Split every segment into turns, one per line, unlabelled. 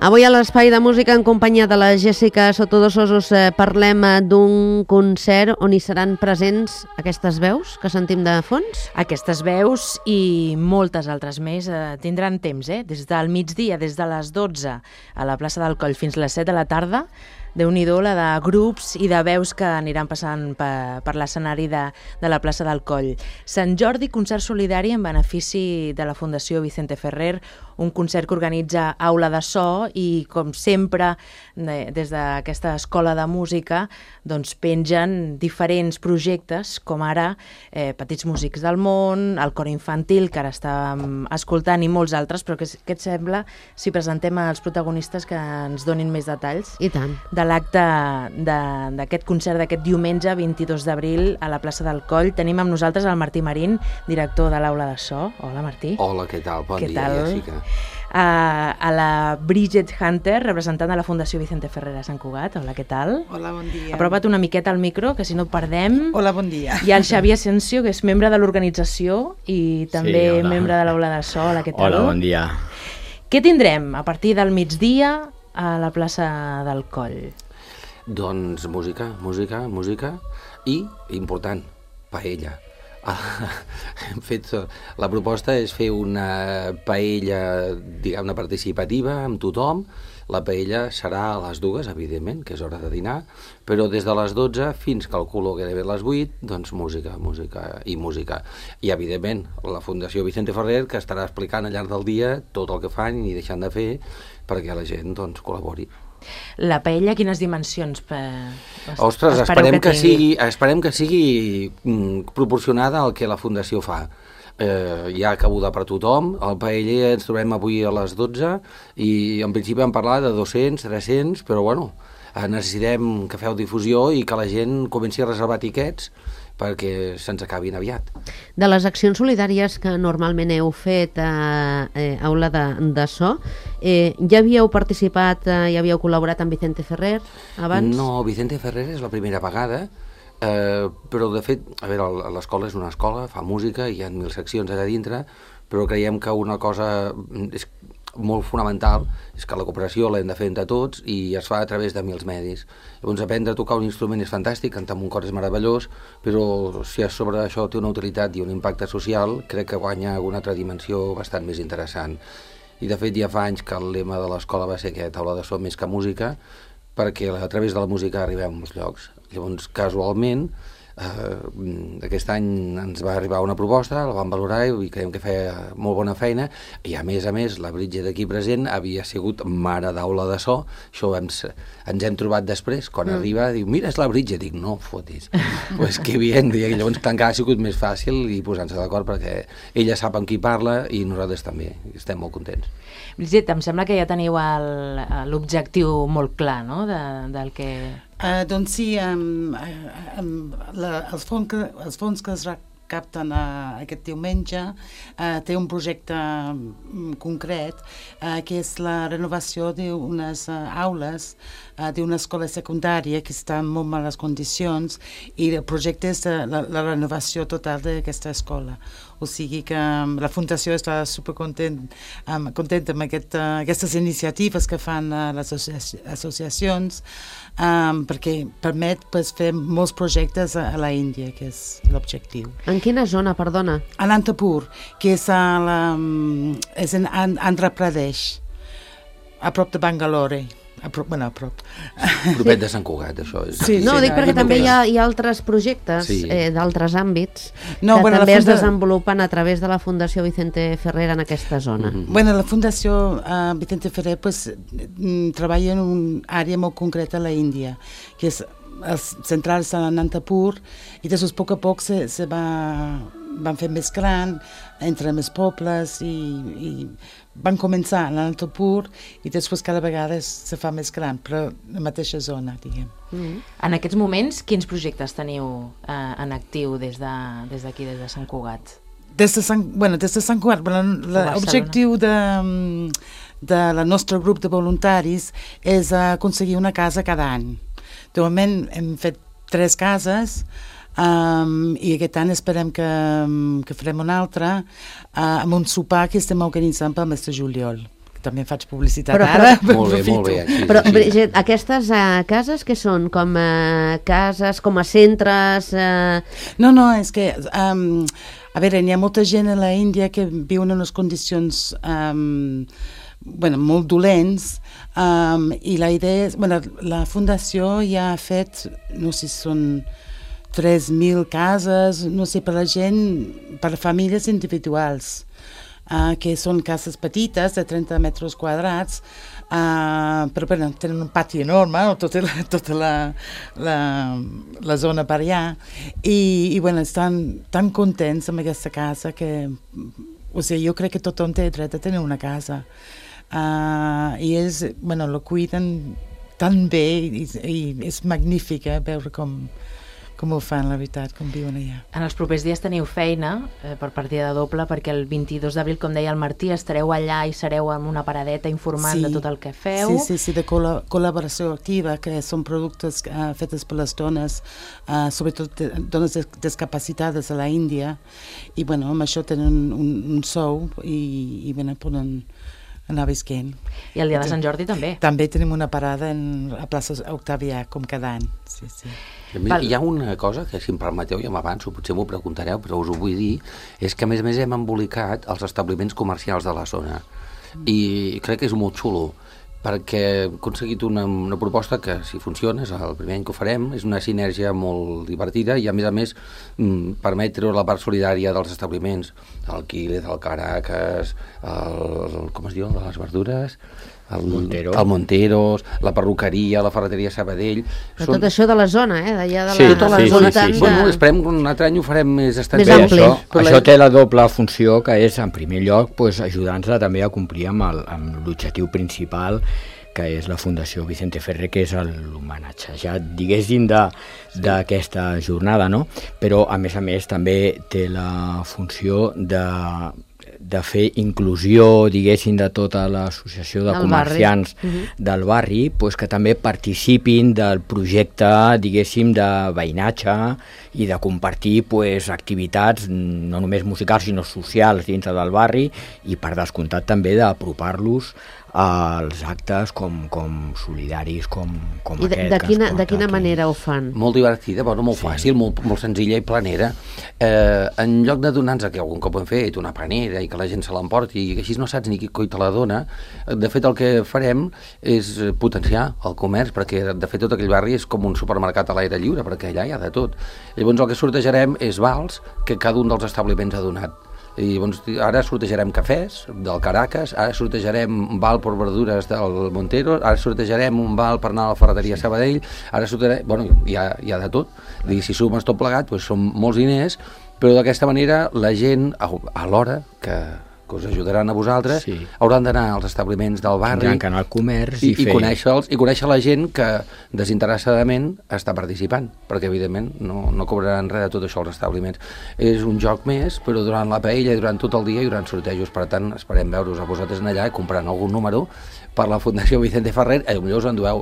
Avui a l'Espai de Música en companyia de la Jessica Sotodosos us parlem d'un concert on hi seran presents aquestes veus que sentim de fons.
Aquestes veus i moltes altres més tindran temps, des del migdia, des de les 12 a la plaça del Coll fins les 7 de la tarda. Déu-n'hi-do la de grups i de veus que aniran passant per l'escenari de la plaça del Coll. Sant Jordi, concert solidari en benefici de la Fundació Vicente Ferrer, un concert que organitza Aula de So i, com sempre, des d'aquesta escola de música, doncs pengen diferents projectes, com ara Petits Músics del Món, el Cor Infantil, que ara estàvem escoltant, i molts altres, però què et sembla si presentem els protagonistes que ens donin més detalls?
I tant.
De l'acte d'aquest concert d'aquest diumenge 22 d'abril a la plaça del Coll. Tenim amb nosaltres el Martí Marín, director de l'Aula de So. Hola, Martí.
Hola, què tal? Bon dia, Jessica.
A la Bridget Hunter, representant de la Fundació Vicente Ferrer a Sant Cugat. Hola, què tal?
Hola, bon dia.
Apropa't una miqueta al micro, que si no et perdem.
Hola, bon dia.
I el Xavi Asensio, que és membre de l'organització i també membre de l'Aula de So. Hola, què tal?
Hola, bon dia.
Què tindrem a partir del migdia a la plaça del Coll?
Doncs música i, important, paella. Hem fet, la proposta és fer una paella, diguem-ne, participativa amb tothom. La paella serà a les 2, evidentment, que és hora de dinar, però des de les 12 fins, calculo que gairebé les 8, doncs música. I, evidentment, la Fundació Vicente Ferrer, que estarà explicant al llarg del dia tot el que fan i deixant de fer perquè la gent doncs, col·labori.
La paella, quines dimensions
Ostres, esperem que sigui proporcionada al que la Fundació fa. Hi ha cabuda per tothom. Al paella ens trobem avui a les 12 i en principi vam parlar de 200, 300, però bueno, necessitem que feu difusió i que la gent comenci a reservar tiquets perquè se'ns acabin aviat.
De les accions solidàries que normalment heu fet a Aula de So, ja havíeu participat, ja havíeu col·laborat amb Vicente Ferrer abans?
No, Vicente Ferrer és la primera vegada, però de fet, a veure, l'escola és una escola, fa música, hi ha 1000 seccions allà dintre, però creiem que una cosa és molt fonamental és que la cooperació l'hem de fer entre tots i es fa a través de 1000 medis. Llavors, aprendre a tocar un instrument és fantàstic, cantar amb un cor és meravellós, però si sobre això té una utilitat i un impacte social, crec que guanya una altra dimensió bastant més interessant. I de fet ja fa anys que el lema de l'escola va ser aquest, Aula de So més que música, perquè a través de la música arribem a molts llocs. Llavors, casualment, aquest any ens va arribar una proposta, la vam valorar i creiem que feia molt bona feina, i a més, la Bridget aquí present havia sigut mare d'Aula de So. Això ens hem trobat després, quan arriba, diu, mira, és la Bridget, dic, no fotis, pues que bien, i llavors encara ha sigut més fàcil i posant-se d'acord perquè ella sap amb qui parla i nosaltres també, estem molt contents.
Bridget, em sembla que ja teniu l'objectiu molt clar, no?, del que...
Doncs sí, els fons que es recapten aquest diumenge té un projecte concret que és la renovació d'unes aules d'una escola secundària que està en molt males condicions i el projecte és la renovació total d'aquesta escola. O sigui que la Fundació està supercontenta amb aquestes iniciatives que fan les associacions perquè permet fer molts projectes a la Índia, que és l'objectiu.
En quina zona, perdona?
A Nantapur, que és en Andhra Pradesh, a prop de Bangalore. A prop.
Propet de Sant Cugat, això.
Sí, no, dic perquè també hi ha altres projectes d'altres àmbits que també es desenvolupen a través de la Fundació Vicente Ferrer en aquesta zona.
Bueno, la Fundació Vicente Ferrer treballa en una àrea molt concreta a la Índia, que és centrar-se a Nantapur, i després a poc se van fer més gran, entre més pobles, i van començar a Nantapur i després cada vegada se fa més gran, però la mateixa zona, diguem.
En aquests moments, quins projectes teniu en actiu des d'aquí, des de Sant Cugat?
Des de Sant Cugat, l'objectiu del nostre grup de voluntaris és aconseguir una casa cada any. De moment hem fet 3 cases, i aquest any esperem que farem una altra amb un sopar que estem organitzant pel mes de juliol. també faig publicitat
Però-
ara.
Molt bé, molt bé. Sí,
Però,
sí, sí.
Brigitte, aquestes cases que són? Com cases, com a centres?
No, és que, a veure, hi ha molta gent a la Índia que viu en unes condicions molt dolents, i la idea és, la fundació ja ha fet, no sé si són 3.000 cases, no sé, per la gent, per famílies individuals, que són cases petites de 30 metres quadrats, però tenen un pati enorme, tota la zona per allà, i estan tan contents amb aquesta casa que, jo crec que tothom té dret a tenir una casa, i ells, la cuiden tan bé, i és magnífic veure com ho fan, la veritat, com viuen allà.
En els propers dies teniu feina per partida doble, perquè el 22 d'abril, com deia el Martí, estareu allà i sereu amb una paradeta informant de tot el que feu.
Sí, de col·laboració activa, que són productes fetes per les dones, sobretot dones discapacitades a la Índia, i amb això tenen un sou i poden anar visquent.
I el dia de Sant Jordi també.
També tenim una parada a plaça Octavià, com cada any. Sí.
Hi ha una cosa que, si em permeteu, ja m'avanço, potser m'ho preguntareu, però us ho vull dir, és que a més hem embolicat els establiments comercials de la zona. I crec que és molt xulo, perquè hem aconseguit una proposta que, si funciona, és el primer any que ho farem, és una sinergia molt divertida i, a més, permet treure la part solidària dels establiments, el Quiles, el Caracas, com es diu, de les verdures, el Monteros, la perruqueria, la ferreteria Sabadell.
Però tot això de la zona, d'allà de
Sí,
la
sí.
voltant.
Bueno, esperem que un altre any ho farem més extens.
Més ampli.
Això té la doble funció, que és, en primer lloc, ajudar-nos també a complir amb l'objectiu principal, que és la Fundació Vicente Ferrer, que és l'homenatjat, diguéssim, d'aquesta jornada, no? Però, a més, també té la funció de fer inclusió, diguéssim, de tota l'associació de comerciants del barri, que també participin del projecte, diguéssim, de veïnatge i de compartir activitats no només musicals sinó socials dintre del barri, i per descomptat també d'apropar-los als actes com solidaris com
I
aquest.
de quina manera ho fan?
Molt divertida, molt fàcil, molt senzilla i planera. En lloc de donar-nos, que algun cop ho hem fet, una panera i que la gent se l'emporti i així no saps ni qui coi te la dona, de fet el que farem és potenciar el comerç, perquè de fet tot aquell barri és com un supermercat a l'aire lliure, perquè allà hi ha de tot. Llavors el que sortejarem és vals que cada un dels establiments ha donat. I llavors ara sortejarem cafès del Caracas, ara sortejarem un val per verdures del Montero, ara sortejarem un val per anar a la ferreteria Sabadell, ara sortejarem, hi ha de tot. Si sumes tot plegat, són molts diners, però d'aquesta manera la gent, a l'hora que us ajudaran a vosaltres, hauran d'anar als establiments del barri,
tindran que anar al comerç
i conèixer-los, i conèixer la gent que desinteressadament està participant, perquè evidentment no cobraran res de tot això als establiments. És un joc més, però durant la paella i durant tot el dia hi haurà sortejos, per tant esperem veure-us a vosaltres allà comprant algun número per la Fundació Vicente Ferrer, potser us endueu,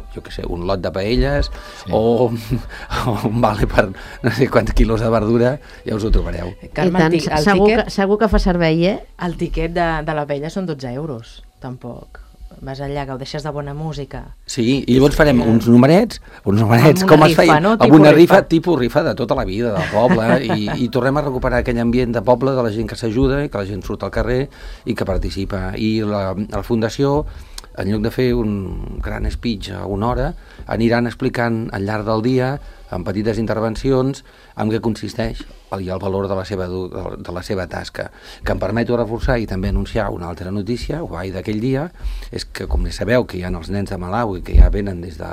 un lot de paelles o un vale per no sé quants quilos de verdura, ja us ho trobareu.
Carme,
I tant, segur que fa servei,
El tiquet de la paella són 12 euros, tampoc. Vas allà, gaudeixes de bona música.
Sí, i llavors farem uns numerets com es feien, amb una rifa, tipus rifa de tota la vida del poble, i tornem a recuperar aquell ambient de poble, de la gent que s'ajuda, que la gent surt al carrer i que participa. I la Fundació, en lloc de fer un gran speech a una hora, aniran explicant al llarg del dia, amb petites intervencions, en què consisteix i el valor de la seva tasca. Que em permeto reforçar i també anunciar una altra notícia, guai d'aquell dia, és que, com sabeu, que hi ha els nens de Malawi que ja venen des de...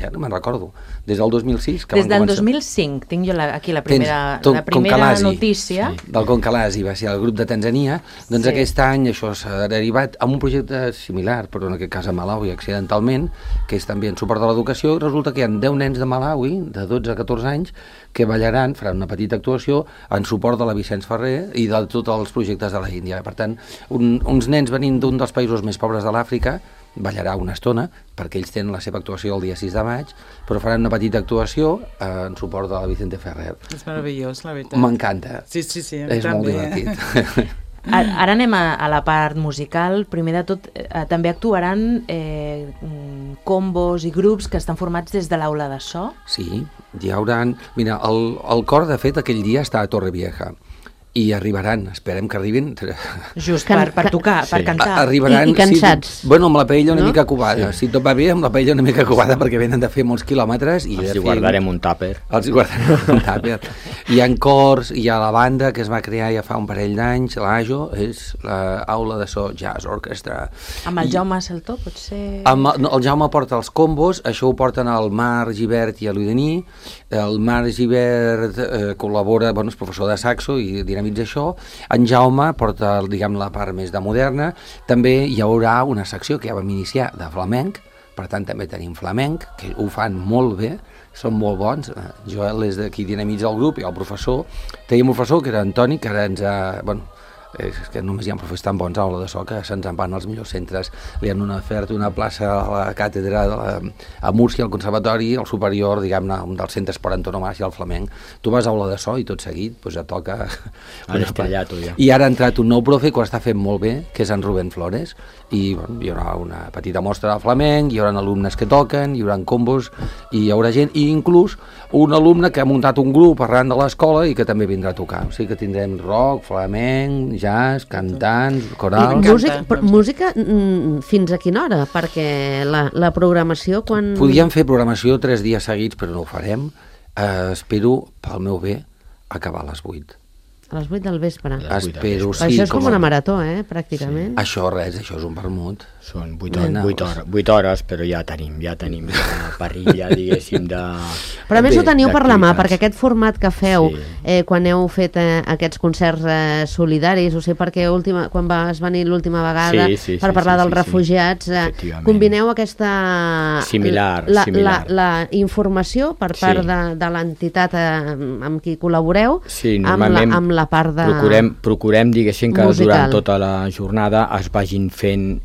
ja no me'n recordo, des del 2006.
Des del 2005, tinc jo aquí la primera notícia.
Del Concalasi, va ser el grup de Tanzania, doncs aquest any això s'ha derivat amb un projecte similar, però en aquest cas a Malawi accidentalment, que és també en suport de l'educació, i resulta que hi ha 10 nens de Malawi, de 12 a 14 anys, que ballaran, faran una petita actuació en suport de la Vicent Ferrer i de tots els projectes de la Índia. Per tant, uns nens venint d'un dels països més pobres de l'Àfrica ballarà una estona, perquè ells tenen la seva actuació el dia 6 de maig, però faran una petita actuació en suport de la Vicente Ferrer.
És meravellós, la veritat.
M'encanta.
Sí,
és molt divertit.
Ara anem a la part musical. Primer de tot, també actuaran combos i grups que estan formats des de l'aula de so.
Sí, hi haurà... Mira, el cor, de fet, aquell dia està a Torrevieja. I arribaran, esperem que arribin...
Just per tocar, per cantar.
Arribaran,
I cansats.
Sí, bueno, amb la paella una mica covada.
Sí.
Si tot va bé, amb la paella una mica covada, perquè venen de fer molts quilòmetres. I
Els hi guardarem un tàper.
Els hi guardarem un tàper. Hi ha cors, hi ha la banda que es va crear ja fa un parell d'anys, l'AJO, és l'Aula de So Jazz Orchestra.
Amb el Jaume Saltó, potser...
El Jaume porta els combos, això ho porten el Marc Gibert i l'Udení. El Marc Gibert col·labora, bueno, és professor de saxo i dinamitza això. En Jaume porta, diguem, la part més de moderna. També hi haurà una secció que ja vam iniciar de flamenc, per tant també tenim flamenc, que ho fan molt bé, són molt bons. Joel és de qui dinamitza el grup i el professor. Teníem un professor que era Antoni, que ara ens ha... Bueno, és que només hi ha professors tan bons a l'aula de so que se'ns en van als millors centres. Li han ofert una plaça a la càtedra a Múrcia, al conservatori, al superior, diguem-ne, un dels centres per antonomàsia al flamenc. Tu vas a aula de so i tot seguit doncs et toca...
Ja.
I ara ha entrat un nou profe que ho està fent molt bé, que és en Rubén Flores, i bueno, hi haurà una petita mostra de flamenc, hi haurà alumnes que toquen, hi haurà combos, i hi haurà gent, i inclús un alumne que ha muntat un grup arran de l'escola i que també vindrà a tocar. O sigui que tindrem rock, flamenc, jazz, cantants, corals...
Música fins a quina hora? Perquè la programació quan...
Podíem fer programació 3 dies seguits, però no ho farem. Espero, pel meu bé, acabar a les 8.
A les 8 del vespre.
Espero, sí.
Això és com una marató, pràcticament.
Sí. Això és un vermut.
Són 8 hores, però ja tenim la parrilla, diguéssim, de...
Però a més ho teniu per la mà, perquè aquest format que feu quan heu fet aquests concerts solidaris, o sigui, perquè quan vas venir l'última vegada per parlar dels refugiats, combineu aquesta...
Similar.
La informació per part de l'entitat amb qui col·laboreu amb la part de
procurem, diguéssim, que
musical.
Durant tota la jornada es vagin fent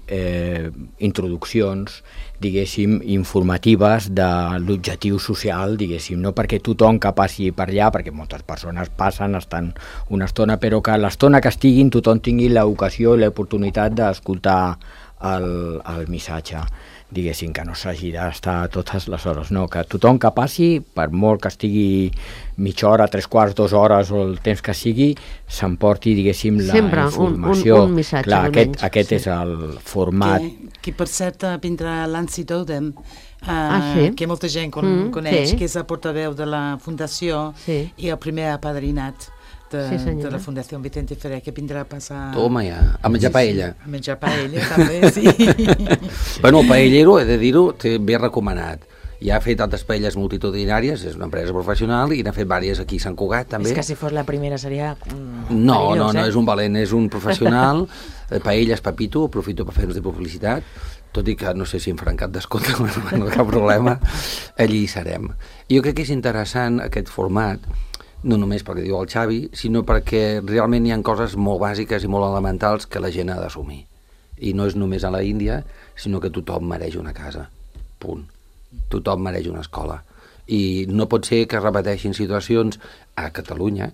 introduccions, diguéssim, informatives de l'objectiu social, diguéssim, no perquè tothom que passi per allà, perquè moltes persones passen, estan una estona, però que l'estona que estiguin tothom tingui l'ocasió i l'oportunitat d'escoltar el missatge, diguéssim, que no s'hagi d'estar totes les hores, no, que tothom que passi, per molt que estigui mitja hora, 3/4, 2 hores o el temps que sigui, s'emporti, diguéssim, la informació.
Un missatge,
clar, aquest és el format.
Que per cert vindrà Lancy Dodem, que molta gent coneix, que és el portaveu de la Fundació i el primer apadrinat de la Fundació Vicente Ferrer, que vindrà a passar...
Toma ja, a menjar paella.
A menjar paella, també, sí.
Bueno, el paellero, he de dir-ho, té ben recomanat. Ja ha fet altres paelles multitudinàries, és una empresa professional, i n'ha fet diverses aquí a Sant Cugat, també.
És que si fos la primera seria
No, és un valent, és un professional. Paelles Pepito, aprofito per fer-nos de publicitat, tot i que no sé si em faran cap descompte, no cap problema, allí hi serem. Jo crec que és interessant aquest format, no només perquè diu el Xavi, sinó perquè realment hi ha coses molt bàsiques i molt elementals que la gent ha d'assumir. I no és només a la Índia, sinó que tothom mereix una casa. Punt. Tothom mereix una escola. I no pot ser que es repeteixin situacions a Catalunya,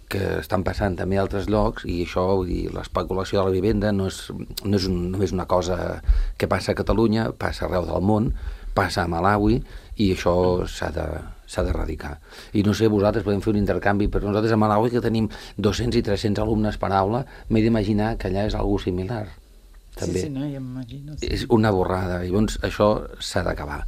que estan passant també a altres llocs, i això, vull dir, l'especulació de la vivenda no és només una cosa que passa a Catalunya, passa arreu del món, passa a Malawi, i això s'ha d'erradicar. I no sé, vosaltres podem fer un intercanvi, però nosaltres a Malawi, que tenim 200 i 300 alumnes per aula, m'he d'imaginar que allà és algo similar. També.
Sí, no, ja m'imagino. Sí.
És una borrada, i llavors això s'ha d'acabar,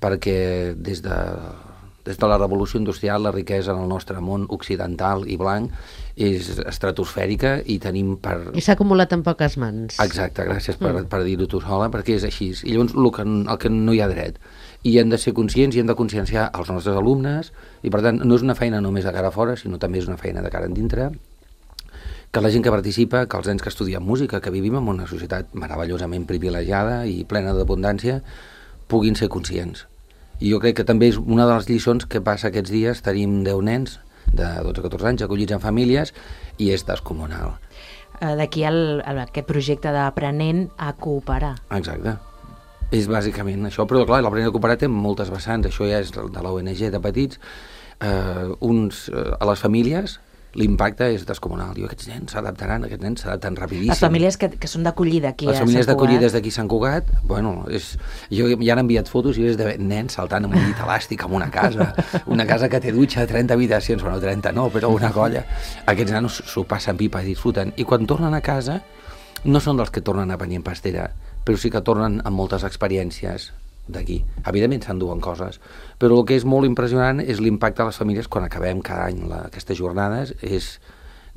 perquè des de la revolució industrial la riquesa en el nostre món occidental i blanc és estratosfèrica i tenim per...
I s'ha acumulat en poques mans.
Exacte, gràcies per dir-ho tu sola, perquè és així. I llavors el que no hi ha dret. I hem de ser conscients i hem de conscienciar els nostres alumnes, i per tant no és una feina només de cara a fora, sinó també és una feina de cara endintre, que la gent que participa, que els nens que estudien música, que vivim en una societat meravellosament privilegiada i plena d'abundància, puguin ser conscients. I jo crec que també és una de les lliçons que passa aquests dies. Tenim 10 nens de 12-14 anys acollits en famílies i és descomunal.
D'aquí aquest projecte d'aprenent a cooperar.
Exacte. És bàsicament això, però clar, l'aprenent a cooperar té moltes vessants. Això ja és de l'ONG de petits. A les famílies l'impacte és descomunal. Diu, aquests nens s'adaptaran rapidíssim.
Les famílies que són d'acollida aquí a Sant Cugat.
Les famílies d'acollides d'aquí a Sant Cugat, bueno, jo ja han enviat fotos i és de nens saltant amb un llit elàstic en una casa que té dutxa, 30 habitacions, bueno, 30 no, però una colla. Aquests nanos s'ho passen pipa i disfruten. I quan tornen a casa, no són dels que tornen a venir en pastera, però sí que tornen amb moltes experiències d'aquí. Evidentment s'enduen coses, però el que és molt impressionant és l'impacte a les famílies quan acabem cada any aquestes jornades.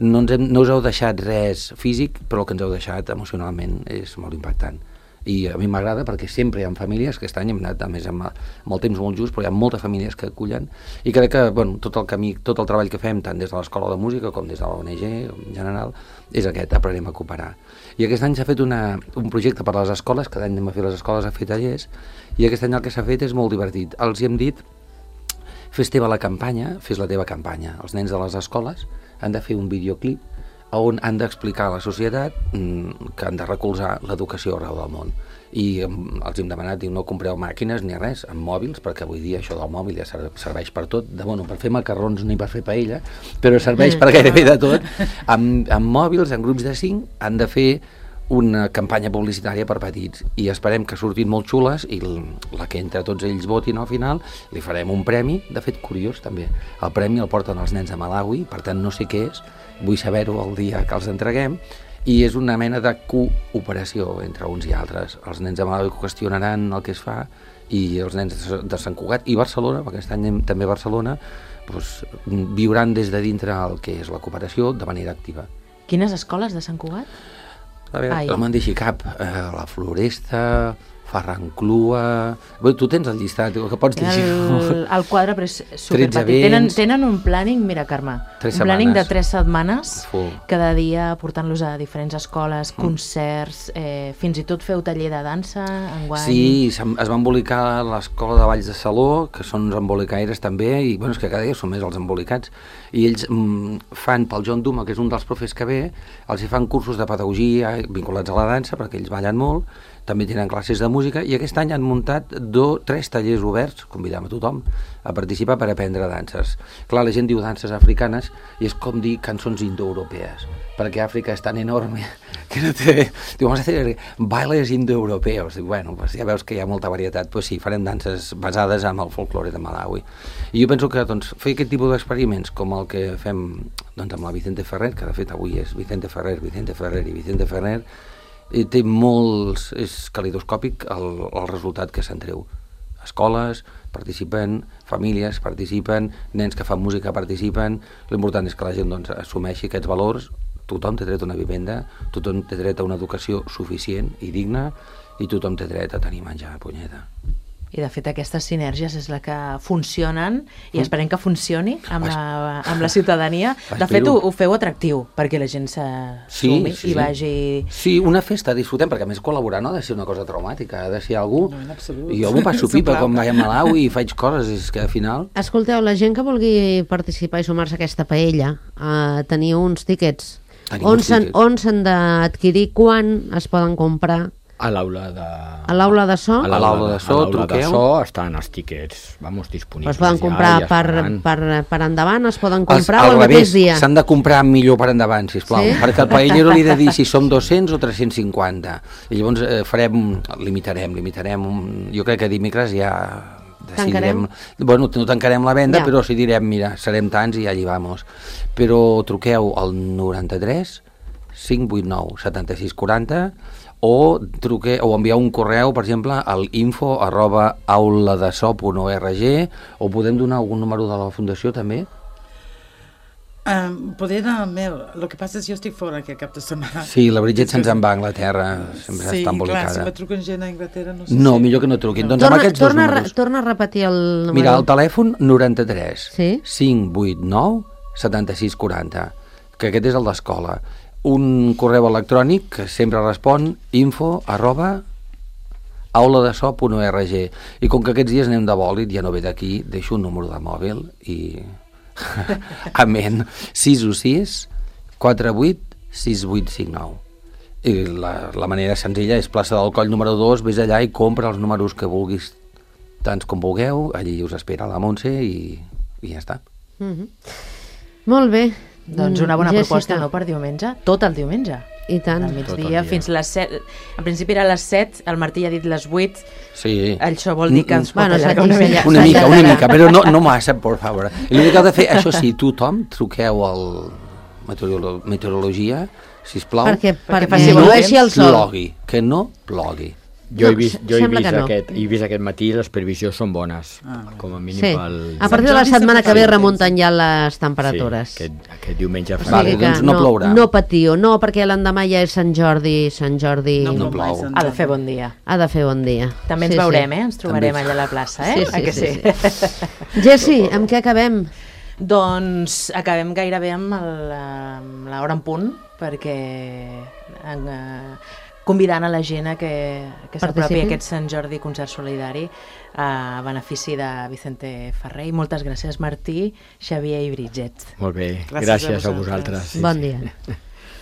No us heu deixat res físic, però el que ens heu deixat emocionalment és molt impactant. I a mi m'agrada perquè sempre hi ha famílies, que aquest any hem anat a més amb el temps molt just, però hi ha moltes famílies que acullen, i crec que tot el camí, tot el treball que fem, tant des de l'Escola de Música com des de l'ONG en general, és aquest, aprenem a cooperar. I aquest any s'ha fet un projecte per a les escoles, cada any anem a fer les escoles a fer tallers, i aquest any el que s'ha fet és molt divertit. Els hi hem dit, fes teva la campanya, fes la teva campanya. Els nens de les escoles han de fer un videoclip on han d'explicar a la societat que han de recolzar l'educació arreu del món. I els hem demanat, no compreu màquines ni res, amb mòbils, perquè avui dia això del mòbil ja serveix per tot, per fer macarrons ni per fer paella, però serveix per gairebé de tot. Amb mòbils, en grups de 5, han de fer una campanya publicitària per petits, i esperem que surtin molt xules, i la que entre tots ells votin al final, li farem un premi, de fet curiós també. El premi el porten els nens de Malawi, per tant no sé què és, vull saber-ho el dia que els entreguem, i és una mena de cooperació entre uns i altres. Els nens de Malawi qüestionaran el que es fa, i els nens de Sant Cugat i Barcelona, perquè aquest any també a Barcelona, viuran des de dintre el que és la cooperació de manera activa.
Quines escoles de Sant Cugat?
A veure, no me'n deixi cap. La Floresta, Ferranclua... Tu tens el llistat, que pots llegir.
El quadre, però és superpetit. Tenen un planning, mira, Carme, un planning de 3 setmanes, cada dia portant-los a diferents escoles, concerts, fins i tot feu taller de dansa enguany.
Sí, es va embolicar l'Escola de Balls de Saló, que són uns embolicaires també, i és que cada dia són més els embolicats, i ells fan pel John Duma, que és un dels profes que ve, els hi fan cursos de pedagogia vinculats a la dansa, perquè ells ballen molt, també tenen classes de música, i aquest any han muntat 3 tallers oberts, convidem a tothom a participar per aprendre danses. Clar, la gent diu danses africanes, i és com dir cançons indoeuropees, perquè Àfrica és tan enorme que no té... Diu, vamos a hacer bailes indoeuropeos. Diu, bueno, ja veus que hi ha molta varietat, doncs sí, farem danses basades en el folklore de Malawi. I jo penso que fer aquest tipus d'experiments, com el que fem amb la Vicente Ferrer, que de fet avui és Vicente Ferrer i Vicente Ferrer, té molts... és calidoscòpic el resultat que se'n treu. Escoles participen, famílies participen, nens que fan música participen. L'important és que la gent assumeixi aquests valors. Tothom té dret a una vivenda, tothom té dret a una educació suficient i digna, i tothom té dret a tenir menjar, punyeta.
I de fet aquestes sinergies és la que funcionen, i esperem que funcioni amb la ciutadania. De fet ho feu atractiu perquè la gent s'assumi i vagi...
Sí, una festa, disfrutem, perquè a més col·laborar no ha de ser una cosa traumàtica, ha de ser algú... I jo m'ho passo pipa quan vaig a Malawi i faig coses, és que al final...
Escolteu, la gent que vulgui participar i sumar-se a aquesta paella, teniu uns tíquets. On s'han d'adquirir, quan es poden comprar?
A l'aula de...
A l'aula de so?
A l'aula de so, truqueu. A l'aula de so
estan els tíquets, disponibles.
Es poden comprar per endavant, es poden comprar o el mateix dia?
S'han de comprar millor per endavant, sisplau, perquè al paellero li he de dir si som 200 o 350. I llavors limitarem. Jo crec que dimecres ja decidirem... Bueno, no tancarem la venda, però si direm, mira, serem tants i allí vamos. Però truqueu al 93 589 7640 o enviar un correu, per exemple, al info@auladeso.org, o podem donar algun número de la Fundació també?
Poder anar al meu. El que passa és que jo estic fora aquest cap de setmana.
Sí, la Bridget se'ns en va a Anglaterra, sempre està embolicada.
Sí, clar, si me truquen gent a Anglaterra no sé
No, millor que no truquin. Doncs amb aquests dos números.
Torna a repetir el número.
Mira, el telèfon 93 589 7640, que aquest és el d'escola. Un correu electrònic que sempre respon, info@auladeso.org. I com que aquests dies anem de bòlit, ja no ve d'aquí, deixo un número de mòbil i... Amén. 616 48 6859. I la manera senzilla és plaça del Coll número 2, vés allà i compra els números que vulguis, tants com vulgueu, allí us espera la Montse i ja està.
Molt bé.
Doncs una bona proposta, no, per diumenge? Tot el diumenge.
I tant.
Al migdia fins les 7. En principi era les 7, el Martí ja ha dit les 8.
Sí.
Això vol dir que ens pot allargar
una mica, però no massa, per favor. I l'únic que heu de fer, això sí, tothom, truqueu al meteorologia, sisplau,
perquè
no plogui, que no plogui.
Jo he vist aquest matí, les previsions són bones, com a mínim.
A partir de la setmana que ve remunten ja les temperatures.
Sí, aquest diumenge
farà. Doncs no plourà.
No patiu, no, perquè l'endemà ja és Sant Jordi.
No plou.
Ha de fer bon dia.
Ha de fer bon dia.
També ens veurem, ens trobarem allà a la plaça,
Sí. Jessi, amb què acabem?
Doncs acabem gairebé amb l'hora en punt, perquè convidant a la gent que s'apropi a aquest Sant Jordi concert solidari a benefici de Vicente Ferrer. I moltes gràcies, Martí, Xavier i Bridget.
Molt bé, gràcies a vosaltres.
Bon dia.